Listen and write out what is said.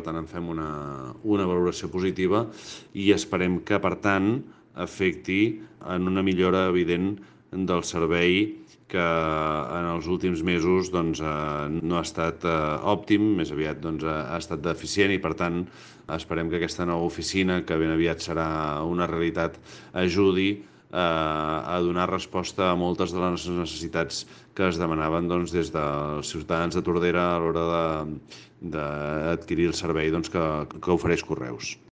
tant en fem una valoració positiva i esperem que, per tant, afecti en una millora evident del servei que en els últims mesos no ha estat òptim, més aviat ha estat deficient i, per tant, esperem que aquesta nova oficina, que ben aviat serà una realitat, ajudi a donar resposta a moltes de les necessitats que es demanaven des dels ciutadans de Tordera a l'hora d'adquirir el servei que ofereix Correus.